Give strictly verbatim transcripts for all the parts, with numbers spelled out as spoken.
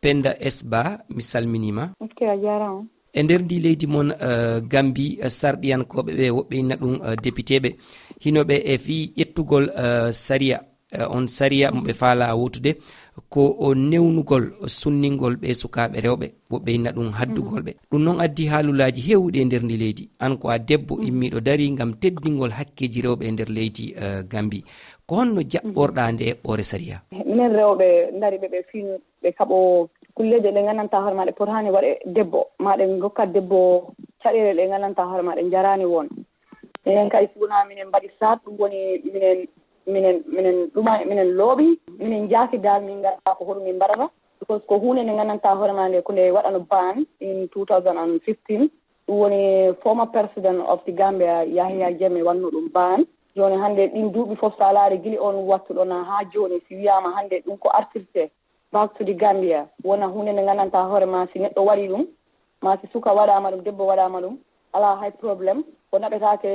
Penda S Ba, mi salminiima. Ok, a jaaraama. E nder ndi leydi mon, eh, Gambi, eh, sarɗiyankooɓe ɓe, woɓɓe inna ɗum, eh, député ɓe, hino ɓe e fii ƴettugol, eh, sariya, eh, on sariya mo ɓe faalaa wootude, ko o newnugol, sunningol ɓe sukaaɓe rewɓe, woɓɓe inna ɗum haddugol ɓe. Ɗum noon addi haalulaaji heewuɗi e nder ndi leydi. An ko a debbo immiiɗo darii ngam teddingol hakkeeji rewɓe e nder leydi, eh, Gambi. Ko honno jaɓɓorɗaa nde eɓɓoore sariya? Minen rewɓe ndari ɓe, ɓe fii ɓe kaɓo kulleeje ɗe nganndantaa hoore maa ɗe potaani waɗe debbo, maa ɗe ngokka debbo caɗeele ɗe nganndantaa hoore maa ɗe njaraani won. Minen kay, si wonaa minen mbaɗi saat, ɗum woni minen, minen, minen ɗuma, minen looɓi, minen njaaki daal, min nganndaa ko hoɗum min mbaɗata. Because ko huunde nde nganndantaa hoore maa nde ko nde waɗano ban in two thousand and fifteen. Ɗum woni former president of the Gambia, Yahya Jammeh, waɗno ɗum ban. Jooni hannde ɗin duuɓi fof, so a laari gili on wattu ɗo na haa jooni, si wiyaama hannde ɗum ko artirte, back to the Gambia, wona huunde nde nganndantaa hoore maa, si neɗɗo waɗi ɗum, maa si suka waɗaama ɗum, debbo waɗaama ɗum, alaa hay problème. O naɓetaake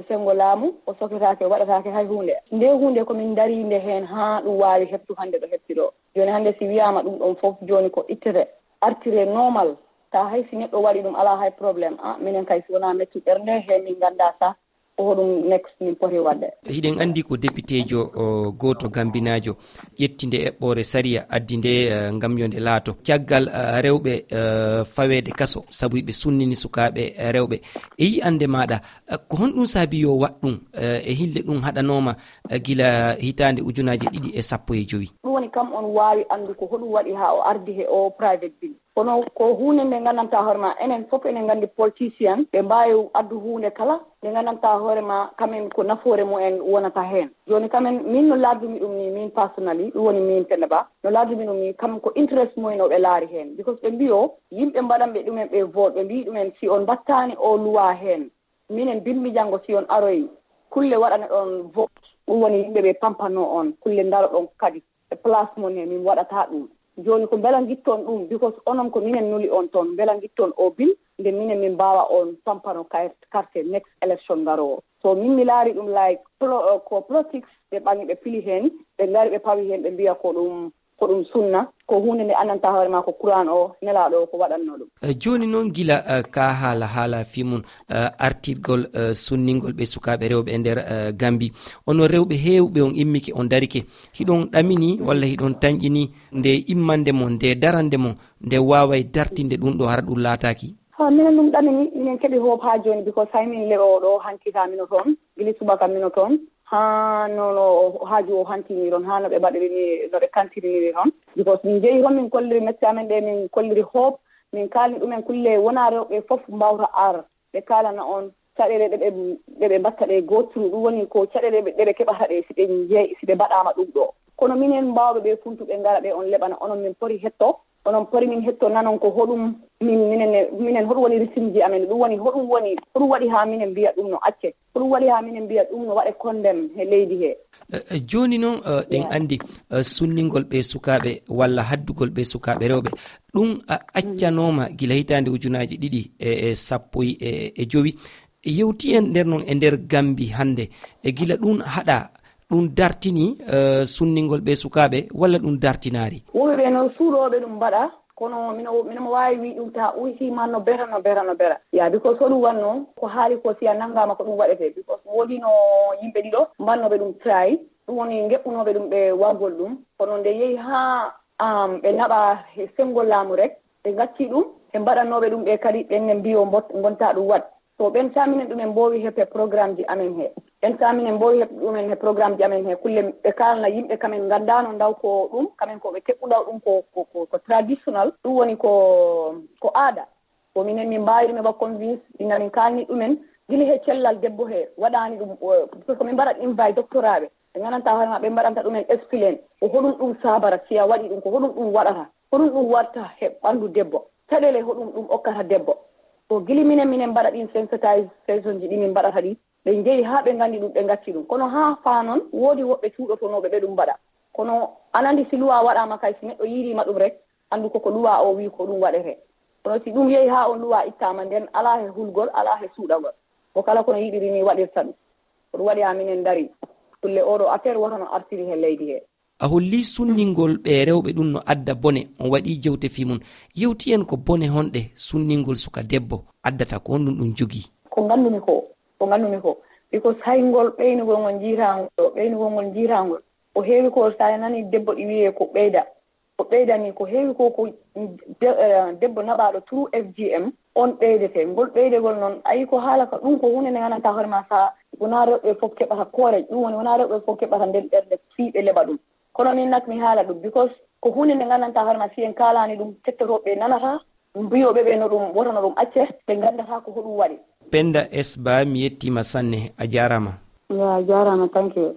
senngo laamu, o soketaake, o waɗataake hay huunde. Nde huunde ko min ndariinde heen haa ɗum waawi heɓtu hannde ɗo heɓti ɗo. Jooni hannde si wiyaama ɗum ɗon fof, jooni ko ittete, artire normal, taa hay si neɗɗo waɗi ɗum, alaa hay problème. Ah, minen kay, si wonaa mettu ɓernde, he min nganndaa sah ko hoɗum next min poti waɗde. Hiɗen anndi ko depiteejo, o, gooto gambinaajo ƴetti nde eɓɓoore sariya, addi nde, eh, ngam yo nde laato. Caggal, eh, rewɓe, eh, faweede kaso sabu ɓe sunnini sukaaɓe, eh, rewɓe. E yi'annde maaɗa, eh, ko honɗum saabi yo waɗ ɗum, eh, e hilde ɗum haɗanooma, eh, gila hitaande ujunaaji ɗiɗi e sappo e jowi? Ɗum woni kam on waawi anndu ko hoɗum waɗi haa o ardi he o private bill. Kono ko huunde nde nganndantaa hoore maa, enen fof enen nganndi politician, ɓe mbaawi addu huunde kala nde nganndantaa hoore maa, kamen ko nafoore mumen wonata heen. Jooni kamen, min no laardumi ɗum ni, min personally, ɗum woni min Penda Ba, no laardumi ɗum ni, kam ko interest mumen o ɓe laari heen. Because ɓe mbiyo, yimɓe mbaɗanɓe ɗumen ɓe vote, ɓe mbii ɗumen, si on mbattaani o luwa heen, minen bimbi janngo si on aroyi, kulle waɗane ɗon vote, ɗum woni yimɓe ɓe pampano on, kulle ndaro ɗon kadi. E place mon he, min waɗata ɗum. Jooni ko mbela ngitton ɗum, because onon ko minen nuli on toon, mbela ngitton o bill, nde minen min mbaawa on pampano kay-, carte next election ngaroowo. So min mi laari ɗum like plo-, ko politics, ɓe ɓangi ɓe pili heen, ɓe ngari ɓe pawi heen, ɓe mbiya ko ɗum, ko ɗum sunna, ko huunde nde anndantaa hoore maa ko Kuraan o, nelaaɗo o ko waɗatnoo ɗum. Eh, jooni noon gila, eh, ka haala, haala fii mum, eh, artirgol, eh, sunningol ɓe sukaaɓe rewɓe e nder, eh, Gambi. Onon rewɓe heewɓe on immike, on darike. Hiɗon ɗamini walla hiɗon tanƴini nde immande mon, nde darande mon, nde waaway dartinde ɗum ɗo hara ɗum laataaki? Ha, minen ɗum ɗamini, minen keɓi hope haa jooni, because hay min leɓo ɗo hanki ka mino toon, gili subaka mino toon, haa no, no haaju o hantini toon, haa no ɓe mbaɗiri ni, no ɓe kantiri ni toon. Because min njehi toon, min kolliri mette amen ɗe, min kolliri hope, min kaalni ɗumen kulle wona rewɓe fof mbawta ar. Ɓe kaalana on caɗeele ɗe ɓe, ɗe ɓe mbatta ɗe gooturu, ɗum woni ko caɗeele ɗe ɓe keɓata ɗe si ɓe njeey, si ɓe mbaɗaama ɗum ɗo. Kono minen mbaawɓe ɓe funtu ɓe ngara ɓe on leɓana, onon min poti hetto, onon poti min hetto nanon ko hoɗum min, minen, minen hoɗum woni risimji amen, ɗum woni hoɗum woni, hoɗum waɗi haa minen mbiya ɗum no acce, hoɗum waɗi haa minen mbiya ɗum no waɗe condemn he leydi he. Eh, eh, jooni noon, eh, ɗen anndi, eh, sunningol ɓe sukaaɓe walla haddugol ɓe sukaaɓe rewɓe, ɗum a-, accanooma gila hitaande ujunaaji ɗiɗi e, e sappo e, e jowi. Yewti en nder noon e nder Gambi hannde, e gila ɗum haɗa, ɗum dartini, eh, sunningol ɓe sukaaɓe walla ɗum dartinaari? Wonɓe ɓe noon suuɗooɓe ɗum mbaɗa, kono mino, mino mo waawi wii ɗum ta uhi man no bera, no bera, no bera. Ya, because ko ɗum wannoo, ko haali ko si a nanngaama ko ɗum waɗetee, because woodino yimɓe ɗiɗo mbannooɓe ɗum try, ɗum woni ngeɓɓunooɓe ɗum ɓe wargol ɗum, kono nde yehi haa, am, ɓe naɓa he senngo laamu rek, ɓe ngacci ɗum, ɓe mbaɗanooɓe ɗum ɓe kadi, ɓen ne mbiyo mbot-, ngonta ɗum waɗ. So ɓen sa minen ɗumen mboowi heɓde programme ji amen he. Ɓen sa minen mboowi heɓde ɗumen he programme ji amen he, kulle ɓe kaalna yimɓe kamen nganndaano ndaw ko ɗum, kamen ko ɓe keɓɓu ndaw ɗum ko, ko, ko, ko traditional, ɗum woni ko, ko aada. Ko minen min mbaawi ɗum heɓa convince, ina min kaalni ɗumen, gila he cellal debbo he, waɗaani ɗum, o, parce que min mbaɗat invite doctorat ɓe, ɓe nganndantaa hoore maa, ɓe mbaɗanta ɗumen explain, ko hoɗum ɗum saabara, si a waɗi ɗum, ko hoɗum ɗum waɗata, hoɗum ɗum waɗta he ɓanndu debbo, caɗeele hoɗum ɗum okkata debbo. Ko gila minen, minen mbaɗa ɗin sensitization ji ɗi min mbaɗata ɗi, ɓe njehi haa ɓe nganndi ɗum, ɓe ngacci ɗum. Kono haa faa noon, woodi woɓɓe suuɗotonooɓe ɓe ɗum mbaɗa. Kono aɗa anndi si luwaa waɗaama kay, si neɗɗo yiiriima ɗum rek, anndu koko luwaa o wii ko ɗum waɗetee. Kono si ɗum yehi haa on luwaa ittaama, nden alaa he hulgol, alaa he suuɗagol. Ko kala ko no yiɗiri ni waɗirta ɗum. Ko ɗum waɗi haa minen ndari. Kulle oo ɗoo affaire woto no artiri he leydi he. A holli sunningol ɓe rewɓe ɗum no adda bone, on waɗi jewte fii mum. Yewti en ko bone honɗe sunningol suka debbo addata, ko honɗum ɗum jogii? Ko nganndu-mi ko, ko nganndu-mi ko, because hay ngol ɓeynugol ngol njiiraangol ɗo, ɓeynugol ngol njiiraangol, ko heewi ko, so a nani debbo ɗi wiyee ko ɓeyda, ko ɓeyda ni, ko heewi ko, ko de-, eh, debbo naɓaaɗo true F G M, on ɓeydete. Ngol ɓeydegol noon, ayi ko haala ka, ɗum ko huunde nde nganndantaa hoore ma, sa wonaa rewɓe fof keɓata kooreeje, ɗum woni wonaa rewɓe fof keɓata nden ɓernde fii ɓe leɓa ɗum. Kono min nak mi haala ɗum, because ko huunde nde nganndantaa hoore ma, si en kaalaani ɗum, kettotooɓe nanata, mbiyooɓe ɓe no ɗum wota, no ɗum acce, ɓe nganndataa ko hoɗum waɗi. Penda S Ba, mi yettiima sanne, a jaaraama. Ya, a jaaraama, thank you.